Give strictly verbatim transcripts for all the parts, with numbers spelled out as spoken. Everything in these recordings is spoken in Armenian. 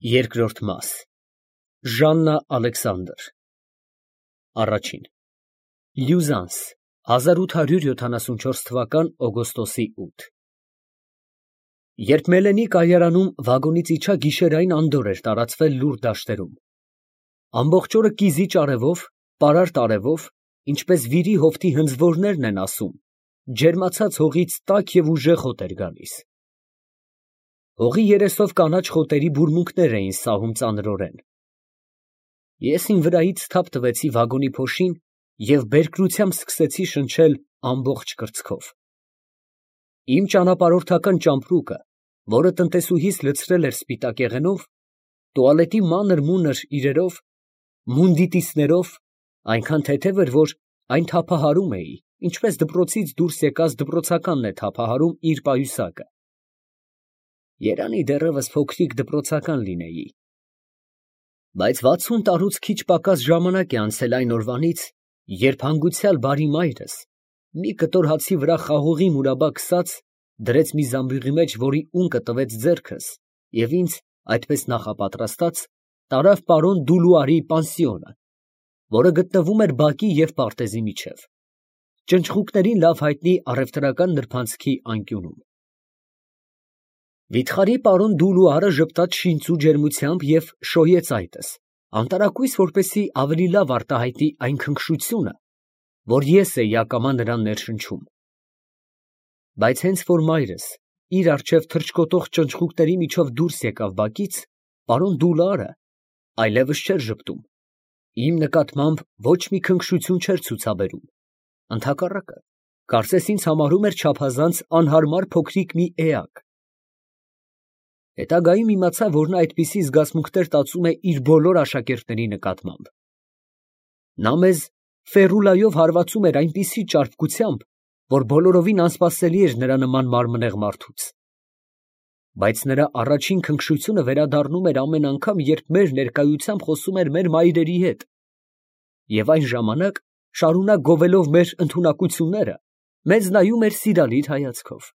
Երկրորդ մաս Ժաննա Ալեքսանդր Առաջին Լյուզանս հազար ութ հարյուր յոթանասունչորս թվական օգոստոսի ութ Երբ Մելենի կայարանում վագոնից իջա, գիշերային անդորր էր տարածվել լուռ դաշտերում։ Ամբողջ օրը կիզիչ արևով, պարարտ արևով, ինչպես վիրի հովտի հնձվորներն են ասում, ջերմացած հողից տաք և ուժեղ հոտ էր գալիս։ Հողի երեսով կանաչ խոտերի բուրմունքներ էին սահում ծանրորեն։ Ես իմ վրայից թափ տվեցի վագոնի փոշին և բերկրությամբ սկսեցի շնչել ամբողջ կրծքով։ Իմ ճանապարհորդական ճամպրուկը, որը տնտեսուհիս լցրել էր սպիտակեղենով, տուալետի մանր֊մունր իրերով, մունդիտիսներով, այնքան թեթև էր, որ այն թափահարում էի, ինչպես դպրոցից դուրս եկած դպրոցականն է թափահարում իր պայուսակը։ Երանի դեռևս փոքրիկ դպրոցական լինեի։ Բայց վաթսուն տարուց քիչ պակաս ժամանակ է անցել այն օրվանից, երբ հանգուցյալ բարի մայրս, մի կտոր հացի վրա խաղողի մուրաբա քսած, դրեց մի զամբյուղի մեջ, որի ունկը տվեց ձեռքս, և ինձ, այդպես նախապատրաստած, տարավ պարոն Դուլուարի պանսիոնը, որը գտնվում էր բակի և պարտեզի միջև, ճնճղուկներին լավ հայտնի առևտրական նրբանցքի անկյունում։ Վիթխարի պարոն Դուլուարը ժպտաց շինծու ջերմությամբ և շոյեց այտս, անտարակույս որպեսզի ավելի լավ արտահայտի այն քնքշությունը, որ ես էի ակամա նրան ներշնչում։ Բայց հենց որ մայրս իր առջև թռչկոտող ճնճղուկների միջով դուրս եկավ բակից, պարոն Դուլուարը այլևս չէր ժպտում, իմ նկատմամբ ոչ մի քնքշություն չէր ցուցաբերում, ընդհակառակը, կարծես ինձ համարում էր չափազանց անհարմար փոքրիկ մի էակ։ Հետագայում իմացա, որ նա այդպիսի զգացմունքներ տածում է իր բոլոր աշակերտների նկատմամբ։ Նա մեզ ֆերուլայով հարվածում էր այնպիսի ճարպկությամբ, որ բոլորովին անսպասելի էր նրա նման մարմնեղ մարդուց։ Բայց նրա առաջին քնքշությունը վերադառնում էր ամեն անգամ, երբ մեր ներկայությամբ խոսում էր մեր մայրերի հետ, և այն ժամանակ, շարունակ գովելով մեր ընդունակությունները, մեզ նայում էր սիրալիր հայացքով։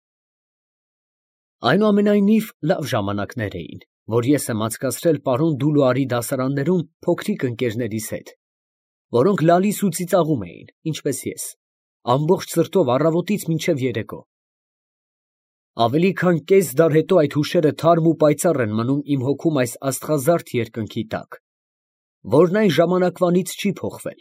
Այնուամենայնիվ, լավ ժամանակներ էին, որ ես եմ անցկացրել պարոն Դուլուարի դասարաններում փոքրիկ ընկերներիս հետ, որոնք լալիս ու ծիծաղում էին, ինչպես ես, ամբողջ սրտով առավոտից մինչև երեկո։ Ավելի քան կես դար հետո այդ հուշերը թարմ ու պայծառ են մնում իմ հոգում այս աստղազարդ երկնքի տակ, որն այն ժամանակվանից չի փոխվել,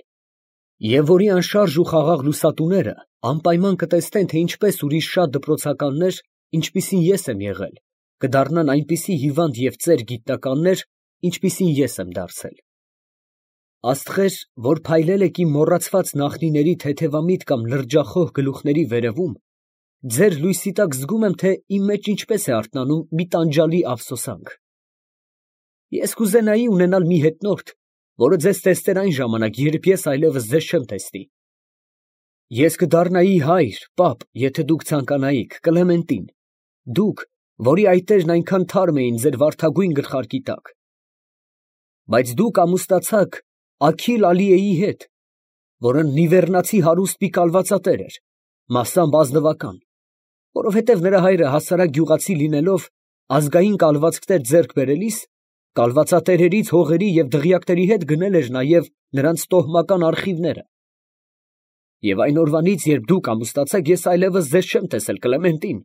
և որի անշարժ ու խաղաղ լուսատուները անպայման կտեսնեն, թե ինչպես ուրիշ շատ դպրոցականներ, ինչպիսին ես եմ եղել, կդառնան այնպիսի հիվանդ և ծեր գիտնականներ, ինչպիսին ես եմ դարձել։ Աստղեր, որ փայլել եք իմ մոռացված նախնիների թեթևամիտ կամ լրջախոհ գլուխների վերևում, ձեր լույսի տակ զգում եմ, թե իմ մեջ ինչպես է արթնանում մի տանջալի ափսոսանք։ Ես կուզենայի ունենալ մի հետնորդ, որը ձեզ տեսներ այն ժամանակ, երբ ես այլևս ձեզ չեմ տեսնի։ Ես կդառնայի հայր, պապ, եթե դուք ցանկանայիք, Կլեմենտին, դուք, որի այտերն այնքան թարմ էին ձեր վարդագույն գլխարկի տակ։ Բայց դուք ամուսնացաք Աքիլ Ալիեի հետ, որը նիվեռնացի հարուստ մի կալվածատեր էր, մասամբ ազնվական, որովհետև նրա հայրը հասարակ գյուղացի լինելով, ազգային կալվածքներ ձեռք բերելիս, կալվածատերերից հողերի և դղյակների հետ գնել էր նաև նրանց տոհմական արխիվները։ Եվ այն օրվանից, երբ դուք ամուսնացաք, ես այլևս ձեզ չեմ տեսել, Կլեմենտին։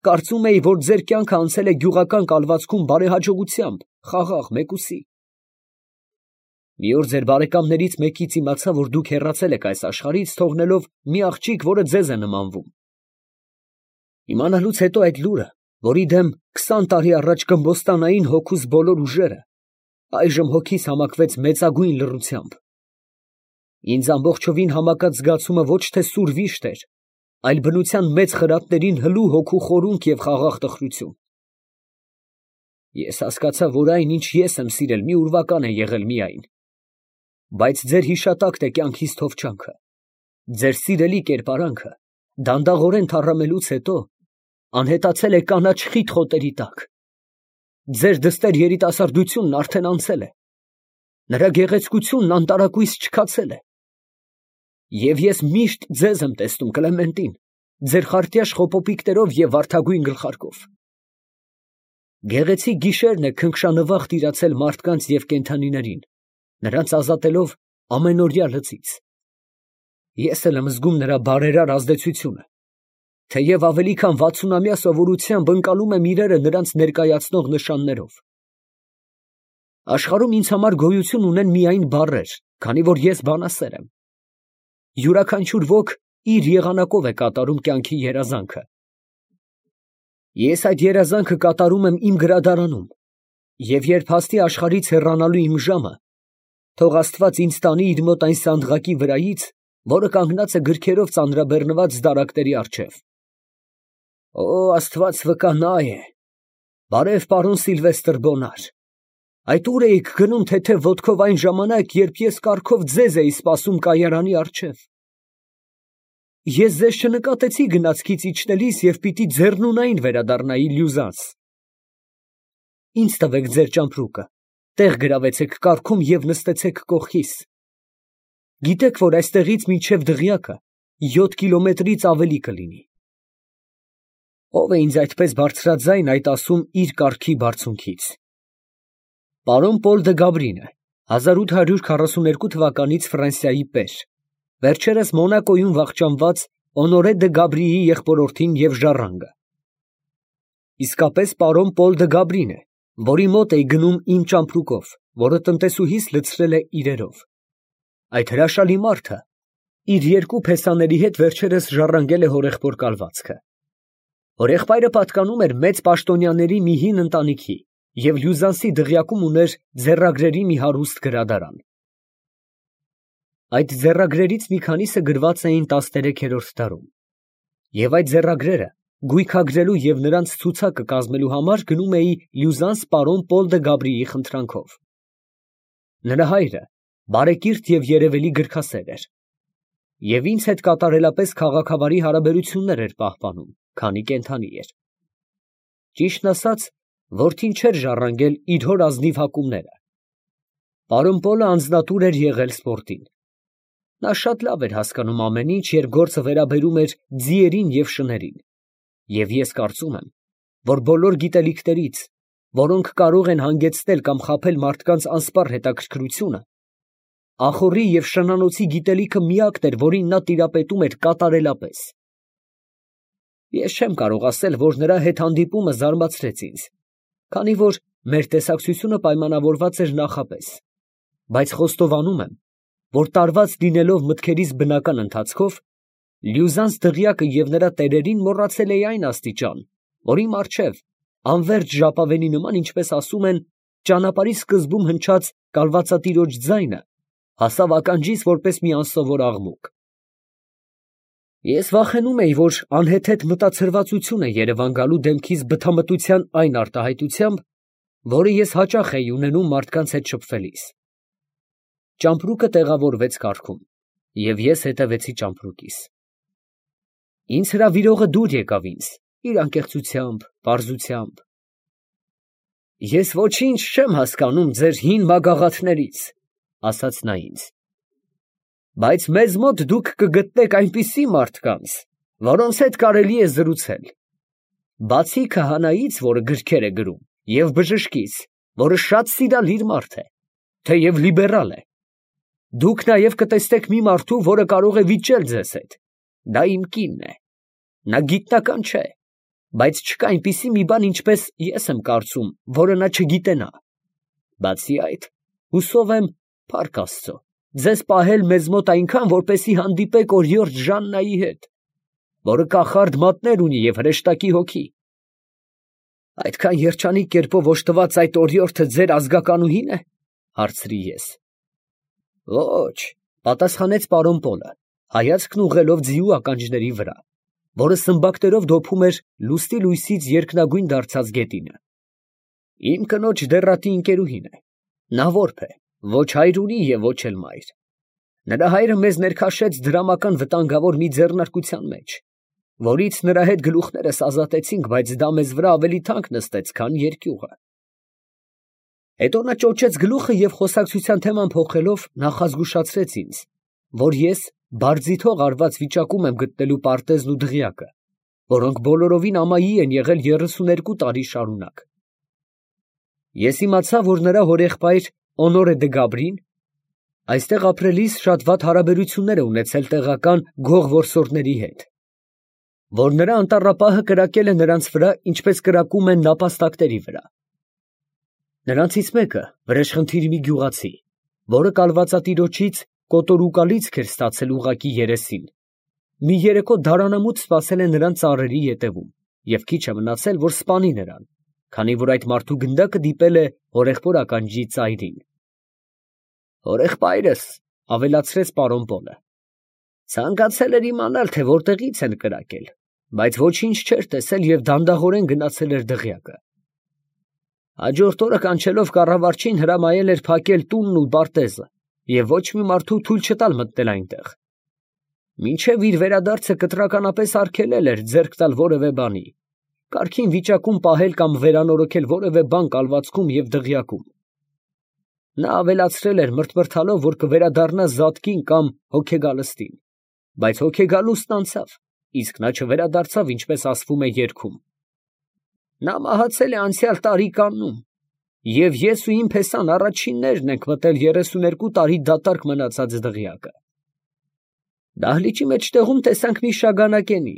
Կարծում էի, որ ձեր կյանքը անցել է գյուղական կալվածքում բարեհաջողությամբ, խաղաղ, մեկուսի։ Մի օր ձեր բարեկամներից մեկից իմացա, որ դուք հեռացել եք այս աշխարհից, թողնելով մի աղջիկ, որը ձեզ է նմանվում։ Իմանալուց հետո այդ լուրը, որի դեմ քսան տարի առաջ կմբոստանային հոգուս բոլոր ուժերը, այժմ հոգիս համակվեց մեծագույն լռությամբ։ Ինձ ամբողջովին համակած զգացումը ոչ թե սուր վիշտ էր, այլ բնության մեծ խրատներին հլու հոգու խորունկ և խաղաղ տխրություն։ Ես հասկացա, որ այն, ինչ ես եմ սիրել, մի ուրվական է եղել միայն, բայց ձեր հիշատակն է կյանքիս թովչանքը, ձեր սիրելի կերպարանքը, դանդաղորեն թառամելուց հետո, անհետացել է կանաչ խիտ խոտերի տակ։ Ձեր դստեր երիտասարդությունն արդեն անցել է, նրա գեղեցկությունն անտարակույս չքացել է։ Եվ ես միշտ ձեզ եմ տեսնում, Կլեմենտին, ձեր խարտյաշ խոպոպիկներով և վարդագույն գլխարկով։ Գեղեցիկ գիշերն է քնքշանվախ տիրացել մարդկանց և կենդանիներին, նրանց ազատելով ամենօրյա լծից։ Ես էլ եմ զգում նրա բարերար ազդեցությունը, թեև ավելի քան վաթսունամյա սովորությամբ ընկալում եմ իրերը նրանց ներկայացնող նշաններով։ Աշխարհում ինձ համար գոյություն ունեն միայն բառեր, քանի որ ես բանասեր եմ։ Յուրաքանչյուր ոք իր եղանակով է կատարում կյանքի երազանքը։ Ես այդ երազանքը կատարում եմ իմ գրադարանում, և երբ հասնի աշխարհից հեռանալու իմ ժամը, թող Աստված ինձ տանի իր մոտ այն սանդղակի վրայից, որը կանգնած է գրքերով ծանրաբեռնված դարակների առջև։ Օ, Աստված վկանա է։ Բարև, պարոն Սիլվեստր Բոնար։ Այդ ուր էիք գնում թեթև ոտքով այն ժամանակ, երբ ես կառքով ձեզ էի սպասում կայարանի առջև։ Ես ձեզ չնկատեցի գնացքից իջնելիս և պիտի ձեռնունայն վերադառնայի Լյուզանս։ Ինձ տվեք ձեր ճամպրուկը, տեղ գրավեցեք կառքում և նստեցեք կողքիս։ Գիտեք, որ այստեղից մինչև Դղյակը յոթ կիլոմետրից ավելի կլինի։ Ո՞վ է ինձ այդպես բարձրաձայն այդ ասում իր կառքի բարձունքից։ Պարոն Պոլ դը Գաբրինը, հազար ութ հարյուր քառասուներկու թվականից Ֆրանսիայի պեր, վերջերս Մոնակոյում վախճանված Օնորե դը Գաբրիի եղբորորդին և ժառանգը։ Իսկապես պարոն Պոլ դը Գաբրին է, որի մոտ էի գնում իմ ճամպրուկով, որը տնտեսուհիս լցրել է իրերով։ Այդ հրաշալի մարդը իր երկու փեսաների հետ վերջերս ժառանգել է հորեղբոր կալվածքը։ Հորեղբայրը պատկանում էր մեծ պաշտոնյաների մի հին ընտանիքի և Լյուզանսի դղյակում ուներ ձեռագրերի մի հարուստ գրադարան։ Այդ ձեռագրերից մի քանիսը գրված էին տասներեքերորդ դարում, և այդ ձեռագրերը գույքագրելու և նրանց ցուցակը կազմելու համար գնում էի Լյուզանս պարոն Պոլ դը Գաբրիի խնդրանքով։ Նրա հայրը բարեկիրթ և երևելի գրքասեր էր, և ինձ հետ կատարելապես քաղաքավարի հարաբերություններ էր պահպանում, քանի կենդանի էր։ Ճիշտն ասած, որդին չէր ժառանգել իր հոր ազնիվ հակումները։ Պարոն Պոլը անձնատուր էր եղել սպորտին։ Նա շատ լավ էր հասկանում ամեն ինչ, երբ գործը վերաբերում էր ձիերին և շներին, և ես կարծում եմ, որ բոլոր գիտելիքներից, որոնք կարող են հանգեցնել կամ խաբել մարդկանց անսպառ հետաքրքրությունը, ախոռի և շնանոցի գիտելիքը միակն էր, որին նա տիրապետում էր կատարելապես։ Ես չեմ կարող ասել, որ նրա հետ հանդիպումը զարմացրեց ինձ, քանի որ մեր տեսակցությունը պայմանավորված էր նախապես, բայց խոստովանում եմ, որ տարված լինելով մտքերիս բնական ընթացքով, Լյուզանս դղյակը և նրա տերերին մոռացել էի այն աստիճան, որի մառչև, անվերջ ժապավենի նման, ինչպես ասում են, ճանապարհի սկզբում հնչած կալվածատիրոջ ձայնը հասավ ականջիս որպես մի անսովոր աղմուկ։ Ես վախենում էի, որ անհեթեթ մտածրվածություն է երևան գալու դեմքիս բթամտության այն արտահայտությամբ, որը ես հաճախ էի ունենում մարդկանց հետ շփվելիս։ Ճամպրուկը տեղավորվեց կառքում, և ես հետևեցի ճամպրուկիս։ Ինձ հրավիրողը դուր եկավ ինձ, իր անկեղծությամբ, պարզությամբ։ Ես ոչինչ չեմ հասկանում ձեր հին մագաղաթներից, ասաց նա ինձ, բայց մեզ մոտ դուք կգտնեք այնպիսի մարդկանց, որոնց հետ կարելի է զրուցել։ Բացի քահանայից, որը գրքեր է գրում, և բժշկից, որը շատ սիրալիր մարդ է, թեև լիբերալ է, դուք նաև կտեսնեք մի մարդու, որը կարող է վիճել ձեզ հետ։ Դա իմ կինն է։ Նա գիտնական չէ, բայց չկա այնպիսի մի բան, ինչպես ես եմ կարծում, որը նա չգիտենա։ Բացի այդ, հուսով եմ, փառք Աստծո, ձեզ պահել մեզ մոտ այնքան, որպեսզի հանդիպեք օրիորդ Ժաննայի հետ, որը կախարդ մատներ ունի և հրեշտակի հոգի։ Այդքան երջանիկ կերպով օժտված այդ օրիորդը ձեր ազգականուհի՞ն է, հարցրի ես։ Ոչ, պատասխանեց պարոն Պոլը, հայացքն ուղղելով ձիու ականջների վրա, որը սմբակներով դոփում էր լուսնի լույսից երկնագույն դարձած գետինը։ Իմ կնոջ դեռատի ընկերուհին է։ Նա որբ է, ոչ հայր ունի և ոչ էլ մայր։ Նրա հայրը մեզ ներքաշեց դրամական վտանգավոր մի ձեռնարկության մեջ, որից նրա հետ գլուխներս ազատեցինք, բայց դա մեզ վրա ավելի թանկ նստեց, քան երկյուղը։ Հետո նա ճոճեց գլուխը և խոսակցության թեման փոխելով նախազգուշացրեց ինձ, որ ես բարձիթող արված վիճակում եմ գտնելու պարտեզն ու դղյակը, որոնք բոլորովին ամայի են եղել երեսուներկու տարի շարունակ, Ես իմացա, որ նրա հորեղբայր Օնորե դը Գաբրին այստեղ ապրելիս շատ վատ հարաբերություններ է ունեցել տեղական գող որսորդների հետ, որ նրա անտառապահը կրակել է նրանց վրա, ինչպես կրակում են նապաստակների վրա։ Նրանցից մեկը վրեժխնդիր մի գյուղացի, որը կալվածատիրոջից կոտորուկալիցք էր ստացել ուղակի երեսին, մի երեկո դարանամուտ սպասել է նրան ծառերի ետևում և քիչ է մնացել, որ սպանի նրան, քանի որ այդ մարդու գնդակը դիպել է հորեղբոր ականջի ծայրին։ Հորեղբայրս, ավելացրեց պարոն Պոլը, ցանկացել էր իմանալ, թե որտեղից են կրակել, բայց ոչինչ չէր տեսել և դանդաղորեն գնացել էր դղյակը։ Հաջորդ օրը կանչելով կառավարչին հրամայել էր փակել տունն ու բարտեզը և ոչ մի մարդու թույլ չտալ մտնել այնտեղ։ Մինչև իր վերադարձը կտրականապես արգելել էր ձեռք տալ որևէ բանի, կարգին վիճակում պահել կամ վերանորոգել որևէ բան կալվածքում և դղյակում։ Նա ավելացրել էր մրթմրթալով, որ կվերադառնա Զատկին կամ հոգեգալստին, բայց հոգեգալուստն անցավ, իսկ նա չվերադարձավ, ինչպես ասվում է երգում. նա մահացել է անցյալ տարի կաննում, և ես ու իմ փեսան առաջիններն ենք մտել երեսուներկու տարի դատարկ մնացած դղյակը։ Դահլիճի մեջտեղում տեսանք մի շագանակենի,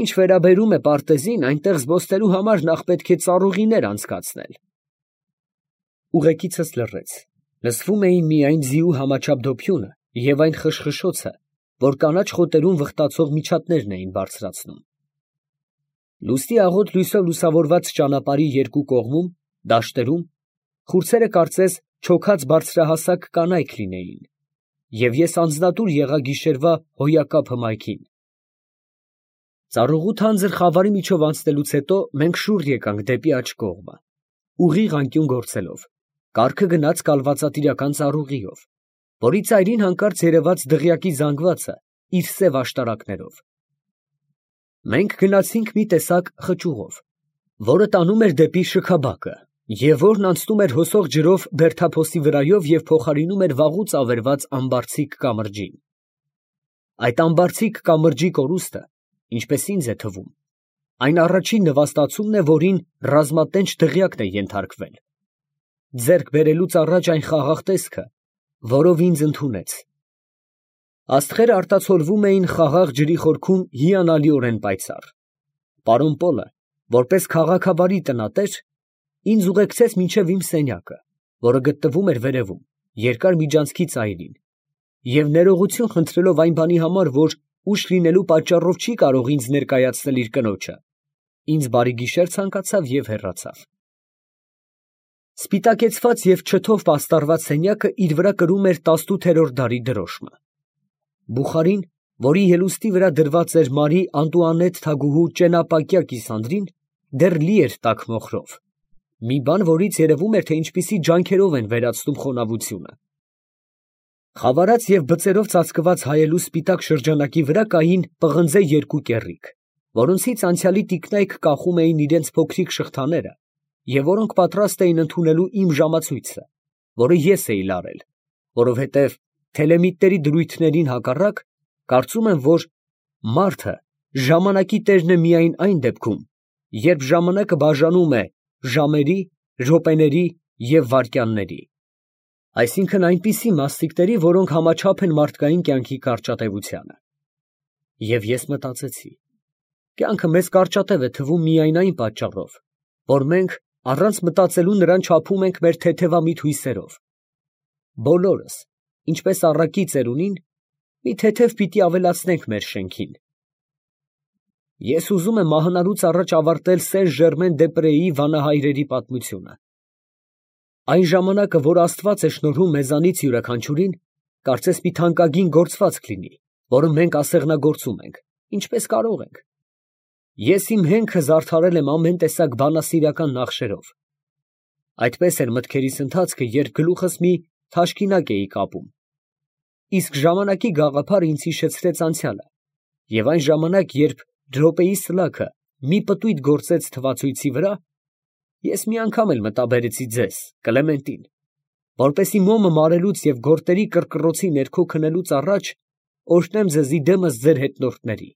ինչ վերաբերում է պարտեզին, այնտեղ զբոսնելու համար նախ պետք է ծառուղիներ անցկացնել։ Ուղեկիցս լռեց, լսվում էին միայն ձիու համաչափ դոփյունը և այն խշխշոցը, որ կանաչ խոտերում վխտացող միջատներն էին բարձրացնում։ Լուսնի աղոտ լույսով լուսավորված ճանապարհի երկու կողմում, դաշտերում, խուրձերը կարծես չոքած բարձրահասակ կանայք լինեին, և ես անձնատուր եղա գիշերվա հոյակապ հմայքին։ Ծառուղու թանձր խավարի միջով անցնելուց հետո մենք շուռ եկանք դեպի աջ կողմը, ուղիղ անկյուն գործելով, կառքը գնաց կալվածատիրական ծառուղիով, որի ծայրին հանկարծ երևաց դղյակի զանգվածը իր սև աշտարակներով։ Մենք գնացինք մի տեսակ խճուղով, որը տանում էր դեպի շքաբակը, և որն անցնում էր հոսող ջրով բերդափոսի վրայով և փոխարինում էր վաղուց ավերված ամբարձիկ կամրջին։ Այդ ամբարձիկ կամրջի կորուստը, ինչպես ինձ է թվում, այն առաջին նվաստացումն է, որին ռազմատենչ դղյակն է ենթարկվել, ձեռք բերելուց առաջ այն խաղաղ տեսքը, որով ինձ ընդունեց։ Աստղերը արտացոլվում էին խաղաղ ջրի խորքում հիանալիորեն պայծառ։ Պարոն Պոլը, որպես քաղաքավարի տնատեր, ինձ ուղեկցեց մինչև իմ սենյակը, որը գտնվում էր վերևում, երկար միջանցքի ծայրին, և ներողություն խնդրելով այն բանի համար, որ ուշ լինելու պատճառով չի կարող ինձ ներկայացնել իր կնոջը, ինձ բարի գիշեր ցանկացավ և հեռացավ։ Սպիտակեցված և չթով պաստառված սենյակը իր վրա կրում էր տասնութերորդ դարի դրոշմը։ Բուխարին, որի ելուստի վրա դրված էր Մարի Անտուանետ թագուհու ճենապակյա կիսանդրին, դեռ լի էր տաք մոխրով, մի բան, որից երևում էր, թե ինչպիսի ջանքերով են վերացնում խոնավությունը։ Խավարած և բծերով ծածկված հայելու սպիտակ շրջանակի վրա կային պղնձե երկու կեռիկ, որոնցից անցյալի տիկնայք կախում էին իրենց փոքրիկ շղթաները և որոնք պատրաստ էին ընդունելու իմ ժամացույցը, որը ես էի լարել, որովհետև թելեմիտների դրույթներին հակառակ, կարծում եմ, որ մարդը ժամանակի տերն է միայն այն դեպքում, երբ ժամանակը բաժանում է ժամերի, րոպեների և վայրկյանների, այսինքն այնպիսի մասնիկների, որոնք համաչափ են մարդկային կյանքի կարճատևությանը։ Եվ ես մտածեցի. կյանքը մեզ կարճատև է թվում միայն այն պատճառով, որ մենք առանց մտածելու նրան չափում ենք մեր թեթևամիտ հույսերով։ Բոլորս, ինչպես առակի ծերունին, մի թեթև պիտի ավելացնենք մեր շենքին։ Ես ուզում եմ մահանալուց առաջ ավարտել Սեն Ժերմեն դե Պրեի վանահայրերի պատմությունը։ Այն ժամանակը, որ Աստված է շնորհում մեզանից յուրաքանչյուրին, կարծես մի թանկագին գործվածք լինի, որը մենք ասեղնագործում ենք, ինչպես կարող ենք։ Ես իմ հենքը զարդարել եմ ամեն տեսակ բանասիրական նախշերով։ Այդպես էր մտքերիս ընթացքը, երբ գլուխս մի թաշկինակ էի կապում։ Իսկ ժամանակի գաղափարը ինձ հիշեցրեց անցյալը, և այն ժամանակ, երբ րոպեի սլաքը մի պտույտ գործեց թվացույցի վրա, ես մի անգամ էլ մտաբերեցի ձեզ, Կլեմենտին, որպեսզի մոմը մարելուց և գորտերի կռկռոցի ներքո քնելուց առաջ օրհնեմ ձեզի դեմս ձեր հետնորդների։